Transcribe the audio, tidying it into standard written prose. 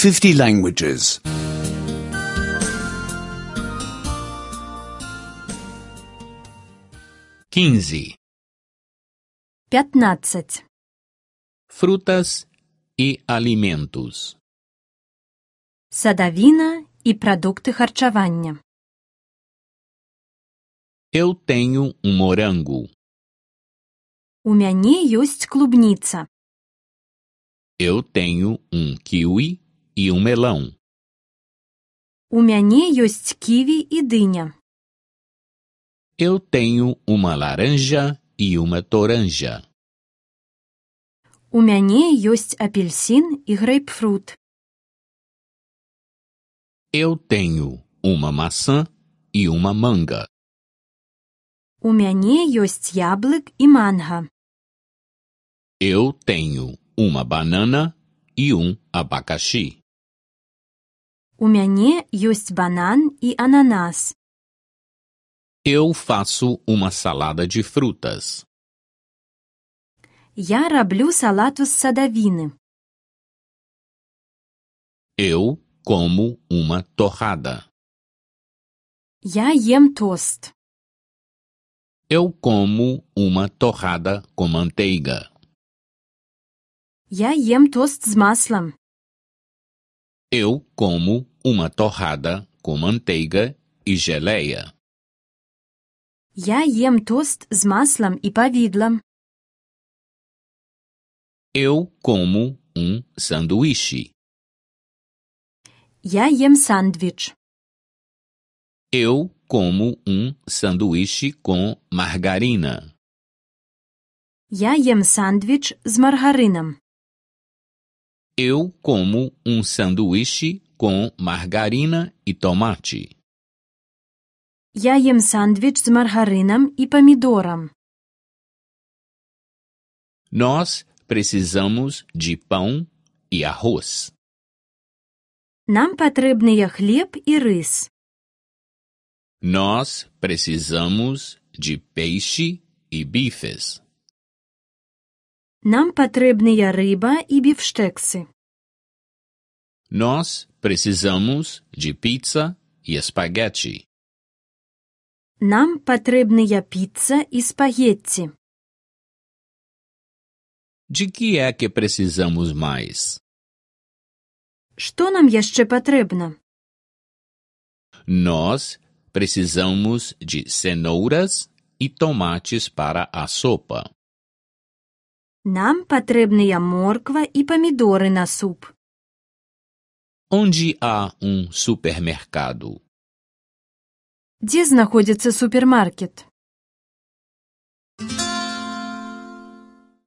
50 languages. 15. 15. Frutas e alimentos. Садавіна і продукти харчування. Eu tenho um morango. У мяне ёсць клубніца. Eu tenho um kiwi e um melão. У мяне ёсць ківі і дыня. Eu tenho uma laranja e uma toranja. У мяне ёсць апельсін і грэйпфрут. Eu tenho uma maçã e uma manga. У мяне ёсць яблык і манга. Eu tenho uma banana e um abacaxi. У мяне ёсць банан і ананас. Eu faço uma salada de frutas. Я раблю салату з садавіны. Eu como uma torrada. Я ем тост. Eu como uma torrada com manteiga. Я ем тост з маслом. Eu como uma torrada com manteiga e geleia. Я ем тост з маслом і павідлам. Eu como um sanduíche. Я ем сандвіч. Eu como um sanduíche com margarina. Я ем сандвіч з маргарином. Eu como um sanduíche com margarina e tomate. Я ем сандвіч з маргарином і помідором. Nós precisamos de pão e arroz. Нам патрэбныя хлеб і рыс. Nós precisamos de peixe e bifes. Нам патрэбныя рыба і біфштэксы. Nós precisamos de pizza e espaguete. Нам патрэбныя піца і спагетці. De que é que precisamos mais? Што нам яшчэ патрэбна? Nós precisamos de cenouras e tomates para a sopa. Нам патрэбныя морква і памідоры на суп. Onde há um supermercado? Дзе знаходзіцца супермаркет?